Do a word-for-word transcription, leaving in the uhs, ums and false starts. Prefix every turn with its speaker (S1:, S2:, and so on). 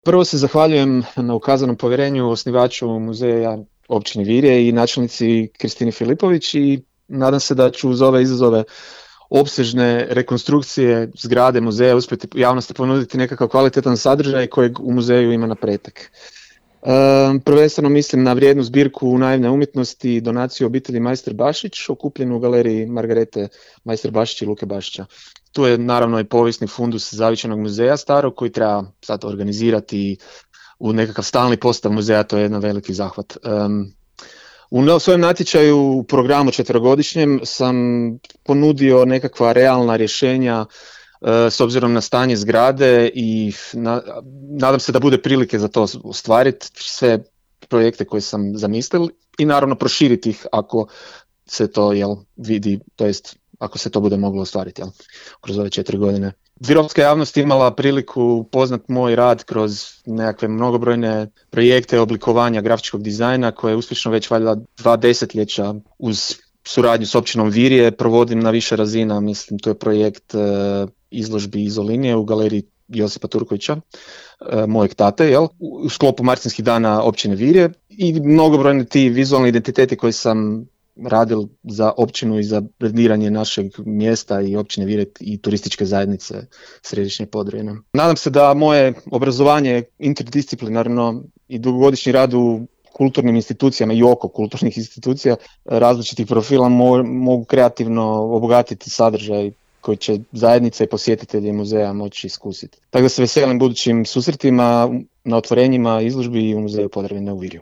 S1: Prvo se zahvaljujem na ukazanom povjerenju osnivaču muzeja općine Virje i načelnici Kristini Filipović i nadam se da ću uz ove izazove opsežne rekonstrukcije zgrade muzeja uspjeti javnosti ponuditi nekakav kvalitetan sadržaj kojeg u muzeju ima na pretek. E, prvenstveno mislim na vrijednu zbirku naivne umjetnosti i donaciju obitelji Majster Bašić, okupljenu u galeriji Margarete Majster Bašić i Luke Bašića. Tu je naravno i povijesni fundus Zavičajnog muzeja starog koji treba sad organizirati u nekakav stalni postav muzeja, to je jedan veliki zahvat. Um, u svojem natječaju u programu četverogodišnjem sam ponudio nekakva realna rješenja uh, s obzirom na stanje zgrade i na, nadam se da bude prilike za to ostvariti sve projekte koje sam zamislil i naravno proširiti ih ako se to jel, vidi, to jest ako se to bude moglo ostvariti jel, kroz ove četiri godine. Virovska javnost imala priliku poznat moj rad kroz nekakve mnogobrojne projekte oblikovanja grafičkog dizajna koje uspješno već valjda dva desetljeća uz suradnju s općinom Virje provodim na više razina. Mislim, to je projekt e, izložbi Izolinije u galeriji Josipa Turkovića, e, mojeg tate, jel, u sklopu Martinskih dana općine Virje i mnogobrojni ti vizualni identiteti koji sam radil za općinu i za brendiranje našeg mjesta i općine Virje i turističke zajednice Središnje Podravine. Nadam se da moje obrazovanje interdisciplinarno i dugogodišnji rad u kulturnim institucijama i oko kulturnih institucija različitih profila mo- mogu kreativno obogatiti sadržaj koji će zajednica i posjetitelji muzeja moći iskusiti. Tako da se veselim budućim susretima na otvorenjima izložbi u muzeju Podravine u Virju.